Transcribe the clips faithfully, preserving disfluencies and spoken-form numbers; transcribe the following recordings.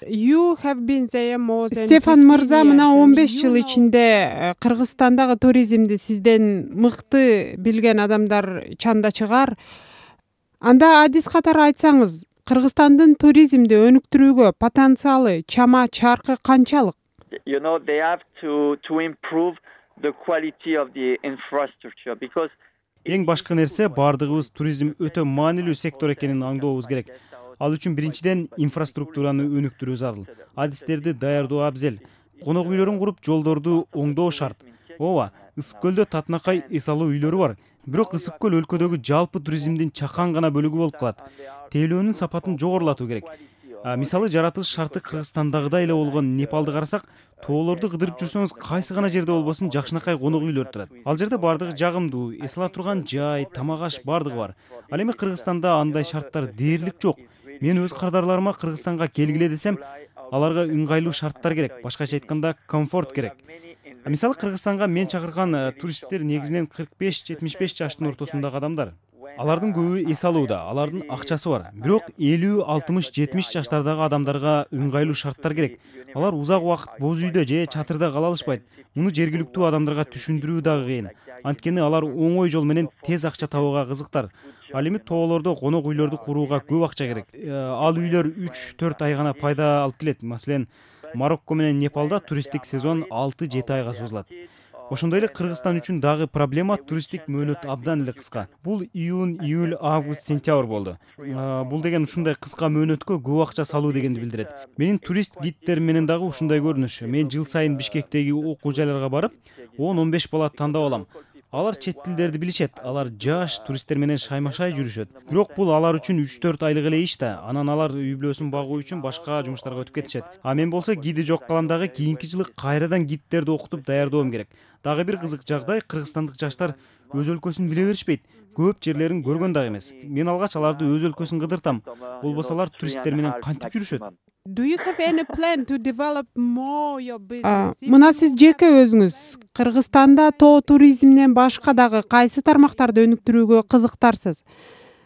You have been there more than Стефан мырза fifteen мына years, он and беш you жыл know- ичинде Кыргызстандагы туризмди сизден мыкты билген адамдар чанда чыгар. Анда адис катары айтсаңыз, Кыргызстандын туризмди өнүктүрүүгө потенциалы чама чаркы канчалык? You know, they have to to improve the quality of the infrastructure because Эң башкы нерсе бардыгыбыз туризм өтө маанилүү сектор экенин аңдообуз керек. Ал үчүн биринчиден инфраструктураны өнүктүрүү зарыл. Адистерди даярдоо абзел. Конок үйлөрүн куруп, жолдорду оңдоо шарт. Ооба, Ысык көлдө татынакай эс алуу үйлөрү бар. Бирок Ысык көл өлкөдөгү жалпы туризмдин чакан гана бөлүгү болуп калат. Тейлөөнүн сапатын жогорулатуу керек. А, мисалы, жаратылыш шарты Кыргызстандагыдай эле болгон Непалды карасак, тоолорду кыдырып жүрсөңүз, кайсы гана жерде болбосун жакшынакай конок үйлөр турат. Ал жерде бардыгы жагымдуу, эс ала турган жай, тамак аш бардыгы бар. Ал эми Кыргызстанда андай шарттар дээрлик жок. Мен өз кардарларыма Кыргызстанга келгиле десем, аларга ыңгайлуу шарттар керек, башкача айтканда комфорт керек. А, мисалы, Кыргызстанга мен чакырган туристтер негизинен кырк беш жетимиш беш жаштын ортосундагы адамдар. Алардын көбү эс алууда, алардын акчасы бар. Бирок элүү алтымыш жетимиш жаштардагы адамдарга ыңгайлуу шарттар керек. Алар узак убакыт боз үйдө же чатырда кала алышпайт. Муну жергиликтүү адамдарга түшүндүрүү дагы кыйын. Анткени алар оңой жол менен тез акча табууга кызыктар. Ал эми тоолордо конок үйлөрдү курууга көп акча керек. Ал үйлөр үч төрт ай гана пайда алып келет. Маселен, Марокко менен Непалда туристтик сезон алты жети айга созулат. Ошондой эле Кыргызстан үчүн дагы проблема туристтик мөөнөт абдан эле кыска. Бул июнь, июль, август, сентябрь болду. Бул деген ушундай кыска мөөнөткө көп акча салуу дегенди билдирет. Менин турист гидтерим менен дагы ушундай көрүнүш. Мен жыл сайын Бишкектеги окуу жайларга барып, он он беш бала тандап алам. Алар чет тилдерди билишет, алар жаш туристтер менен шаймашай жүрүшөт. Бирок бул алар үчүн үч төрт айлык эле иш да. Анан алар үй бүлөсүн багуу үчүн башка жумуштарга өтүп кетишет. А мен болсо гиди жок калам дагы кийинки жылы кайрадан гидтерди окутуп даярдоом керек. Дагы бир кызык жагдай, кыргызстандык жаштар өз өлкөсүн биле беришпейт. Көп жерлерин көргөн дагы эмес. Мен алгач аларды өз өлкөсүн кыдыртам. Болбосо алар туристтер менен кантип жүрүшөт? Do you have any plan to develop more your А, business? мына сиз жеке өзүңүз Кыргызстанда тоо туризминен башка дагы кайсы тармактарды өнүктүрүүгө кызыктарсыз?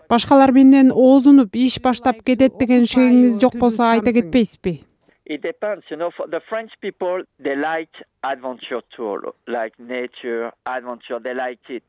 Башкалар менен оозунуп иш баштап кетет деген шегиңиз жок болсо айта кетпейсизби? it depends, you know, for the French people, they like adventure tour, like nature, adventure, they like it.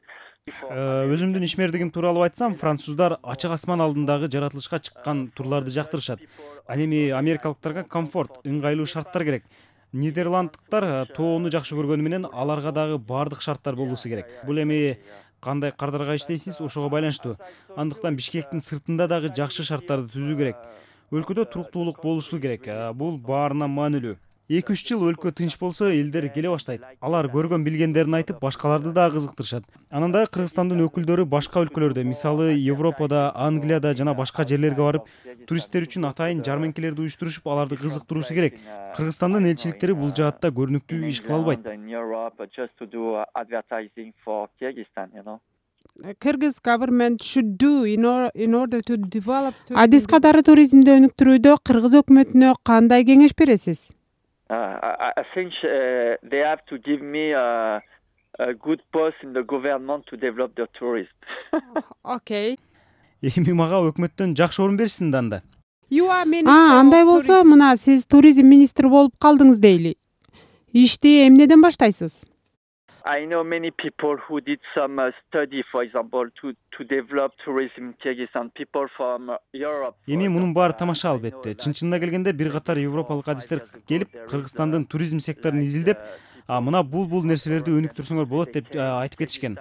Өзүмдүн ишмердигим тууралуу айтсам, француздар ачык асман алдындагы жаратылышка чыккан турларды жактырышат. Ал эми америкалыктарга комфорт, ыңгайлуу шарттар керек. Нидерланддыктар тоону жакшы көргөнү менен аларга дагы бардык шарттар болуусу керек. Бул эми кандай кардарга иштейсиз, ошого байланыштуу. Андыктан Бишкектин сыртында дагы жакшы шарттарды түзүү керек. Өлкөдө туруктуулук болушу керек. Бул баарына маанилүү. эки үч жыл өлкө тынч болсо, элдер келе баштайт. Алар көргөн билгендерин айтып, башкаларды дагы кызыктырышат. Анан дагы Кыргызстандын өкүлдөрү башка өлкөлөрдө, мисалы Европада, Англияда жана башка жерлерге барып, туристтер үчүн атайын жарманкелерди уюштурушуп, аларды кызыктыруусу керек. Кыргызстандын элчиликтери бул жаатта көрүнүктүү иш кыла албайт. Kyrgyz government should do in, or, in order to develop tourism. Адис катары туризмди өнүктүрүүдө Кыргыз өкмөтүнө кандай кеңеш бересиз? Uh, I, I think uh, they have to give me a, a good post in the government to develop the tourism. Okay. Эми мага өкмөттөн жакшы орун беришсин да анда. You are minister А, андай of болсо, tourism. мына сиз туризм министри болуп калдыңыз дейли. Ишти эмнеден баштайсыз? I know many people who did some uh, study, for example, to, to develop tourism in Kyrgyzstan, people from uh, Europe. Эми мунун баары тамаша албетте. Чын-чынына келгенде бир катар европалык адистер келип, Кыргызстандын туризм секторун изилдеп, а мына бул-бул нерселерди өнүктүрсөңөр болот деп айтып кетишкен.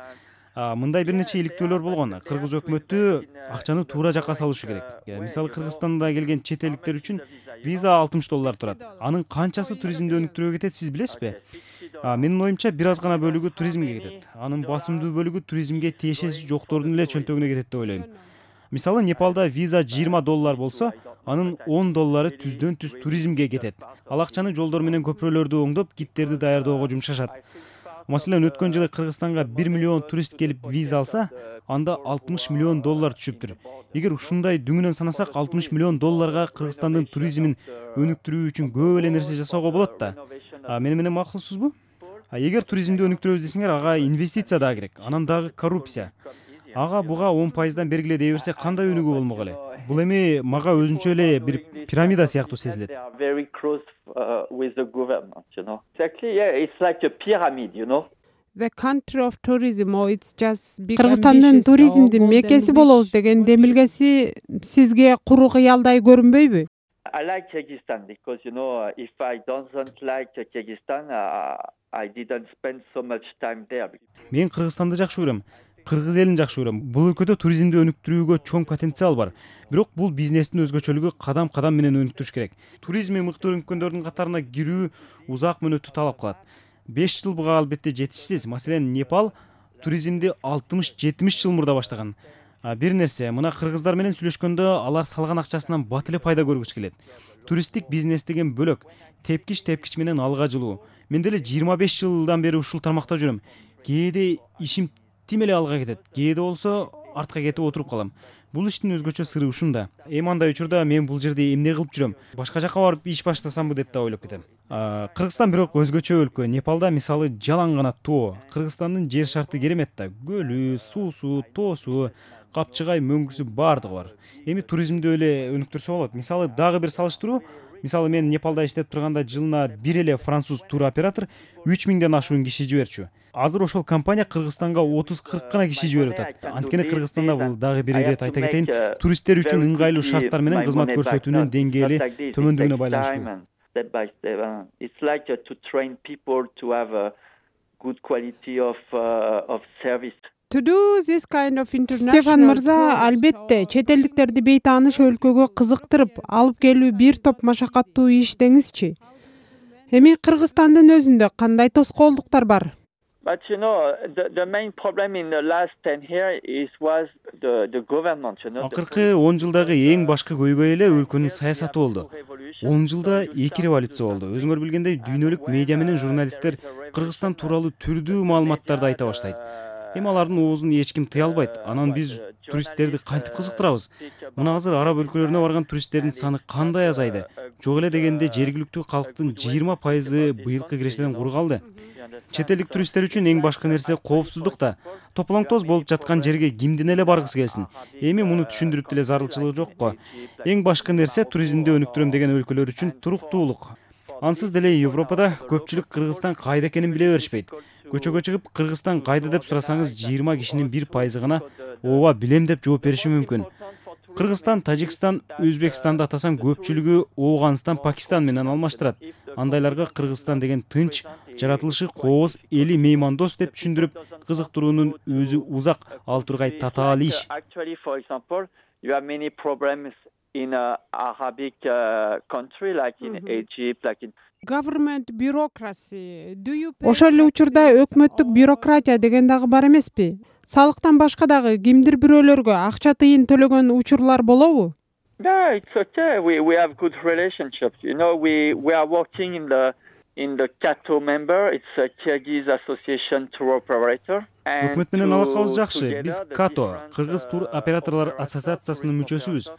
Мындай бир нече иликтөөлөр болгон. Кыргыз өкмөтү акчаны туура жакка салышы керек. Мисалы, Кыргызстанда келген чет элдиктер үчүн виза алтымыш доллар турат. Анын канчасы туризмди өнүктүрүүгө кетет, сиз билесизби? Менин оюмча бир аз гана бөлүгү туризмге кетет. Анын басымдуу бөлүгү туризмге тиешеси жоктордун эле чөнтөгүнө кетет деп ойлойм. Мисалы, Непалда виза жыйырма доллар болсо, анын он доллары түздөн түз туризмге кетет. Ал акчаны жолдор менен көпүрөлөрдү оңдоп, гидтерди даярдоого жумшашат. Маселен, өткөн жылы Кыргызстанга бир миллион турист келип виза алса, анда алтымыш миллион доллар түшүптүр. Эгер ушундай дүңүнөн санасак, алтымыш миллион долларга Кыргызстандын туризмин өнүктүрүү үчүн көп эле нерсе жасоого болот да. Мени менен макулсузбу? Эгер туризмди өнүктүрөбүз десеңер, ага инвестиция да керек. Анан дагы коррупция. Ага буга он пайыздан бергиле дей берсе, кандай өнүгүү болмок эле? бул эми мага өзүнчө эле бир пирамида сыяктуу сезилет. They are very close uh, with the government, you know. Exactly, yeah, it's like a pyramid, you know. The country of tourism, or it's just big Кыргызстандын ambitious, туризмдин or golden мекеси wish. болобуз деген демилгеси сизге куру кыялдай көрүнбөйбү? I like Kyrgyzstan because, you know, if I don't like Kyrgyzstan, uh, I didn't spend so much time there. Мен Кыргызстанды жакшы көрөм. Кыргыз элин жакшы көрөм. Бул өлкөдө туризмди өнүктүрүүгө чоң потенциал бар. Бирок бул бизнестин өзгөчөлүгү кадам-кадам менен өнүктүрүш керек. Туризми мыкты өнүккөндөрдүн катарына кирүү узак мөөнөттү талап кылат. беш жыл буга албетте жетишсиз. Маселен, Непал туризмди алтымыш жетимиш жыл мурда баштаган. Бир нерсе, мына кыргыздар менен сүйлөшкөндө алар салган акчасынан бат эле пайда көргүсү келет. Туристтик бизнес деген бөлөк, тепкич-тепкич менен алга жылуу. Мен деле жыйырма беш жылдан бери ушул тармакта жүрөм. Кээде ишим тим эле алга кетет, кээде болсо артка кетип отуруп калам. Бул иштин өзгөчө сыры ушунда. Эми андай учурда мен бул жерде эмне кылып жүрөм? Башка жака барып иш баштасамбы деп да ойлоп кетем. Кыргызстан бирок өзгөчө өлкө. Непалда мисалы жалаң гана тоо. Кыргызстандын жер шарты керемет да. Көлү, суусу, тоосу, капчыгай, мөңгүсү бардыгы бар. Эми туризмди эле өнүктүрсө болот. Мисалы дагы бир салыштыруу, мисалы мен Непалда иштеп турганда жылына бир эле француз туроператор үч миңден ашуун киши жиберчү. Азыр ошол компания Кыргызстанга отуз кырк гана киши жиберип атат. Анткени Кыргызстанда бул дагы бир ирет айта кетейин, туристтер үчүн ыңгайлуу шарттар менен кызмат көрсөтүүнүн деңгээли төмөндүгүнө байланыштуу. Step by step. Uh, it's like uh, to train people to have a good quality of uh, of service. To do this kind of international Стефан мырза, tours, албетте, or- чет элдиктерди бейтааныш өлкөгө кызыктырып, алып келүү бир топ машакаттуу иш деңизчи. Эми Кыргызстандын өзүндө кандай тоскоолдуктар бар? But you know, the, the main problem in the last ten years is was the the government. You know, the Акыркы он жылдагы эң башкы көйгөй эле өлкөнүн саясаты болду. он жылда эки революция болду. Өзүңөр билгендей, дүйнөлүк медиа менен журналисттер Кыргызстан тууралуу түрдүү маалыматтарды айта баштайт. Эми алардын оозун эч ким тыя албайт. Анан биз туристтерди кантип кызыктырабыз? Мына азыр араб өлкөлөрүнө барган туристтердин саны кандай азайды? Жок эле дегенде жергиликтүү калктын жыйырма пайызы быйылкы кирештерден кур калды. Чет элдик туристтер үчүн эң башкы нерсе коопсуздук да. Тополоң-тоз болуп жаткан жерге кимдин эле баргысы келсин. Эми муну түшүндүрүп деле зарылчылыгы жокко. Эң башкы нерсе туризмди өнүктүрөм деген өлкөлөр үчүн туруктуулук. Ансыз деле Европада көпчүлүк Кыргызстан кайда экенин биле беришпейт. Көчөгө чыгып Кыргызстан кайда деп сурасаңыз жыйырма кишинин бир пайызы гана ооба билем деп жооп бериши мүмкүн. Кыргызстан, Тажикстан, Өзбекстанды атасаң көпчүлүгү Ооганстан, Пакистан менен алмаштырат. Андайларга Кыргызстан деген тынч, жаратылышы кооз, эли меймандос деп түшүндүрүп, кызыктыруунун өзү узак, ал тургай татаал иш. Actually, for example, you have many problems in a Arabic uh, country like in Egypt, like in government bureaucracy. Do you pay Ошол эле учурда taxes өкмөттүк or- бюрократия деген дагы бар эмеспи? Салыктан башка дагы кимдир бирөөлөргө акча тыйын төлөгөн учурлар болобу? Yeah, it's okay. We we have good relationships. You know, we we are working in the in the Kato member. It's a Kyrgyz Association tour operator. And Өкмөт менен to- алакабыз жакшы. together Биз the Като, different, Кыргыз тур uh, операторлор operators ассоциациясынын of the мүчөсүбүз.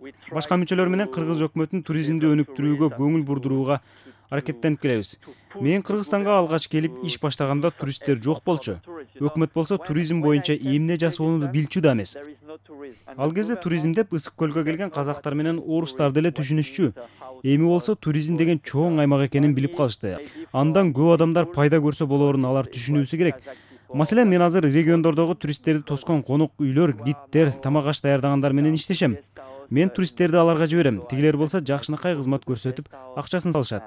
we try Башка мүчөлөр менен to- Кыргыз өкмөтүн туризмди to өнүктүрүүгө tourism, көңүл to- бурдурууга to- аракеттенип келебиз. to push Мен the Кыргызстанга government алгач келип to- иш баштаганда to туристтер жок support болчу. the tourists, you know. Өкмөт болсо When- туризм when боюнча I came эмне to жасоону Kyrgyzstan, билчү да эмес. there is no tourism. And Ал the кезде government туризм деп ысык көлгө келген казактар менен орустарды эле түшүнүшчү. Эми болсо туризм деген чоң аймак экенин билип калышты. Андан көп адамдар пайда көрсө болоорун алар түшүнүүсү керек. Маселен, мен азыр региондордогу туристтерди тоскон конок үйлөр, гидтер, тамак аш даярдагандар менен иштешем. Мен туристтерди аларга жиберем. Тигилер болсо жакшынакай кызмат көрсөтүп, акчасын салышат.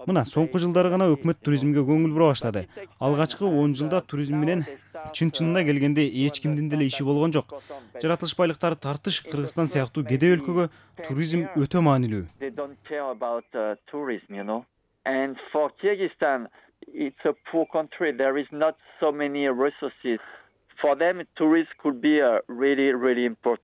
Мына, соңку жылдары гана өкмөт туризмге көңүл бура баштады. Алгачкы он жылда туризм менен чын-чынына келгенде эч кимдин деле иши болгон жок. Жаратылыш байлыктары тартыш Кыргызстан сыяктуу кедей өлкөгө туризм өтө маанилүү. They don't care about uh, tourism, you know. And for Kyrgyzstan, it's a poor country. There is not so many resources. For them, tourism could be uh, really, really important.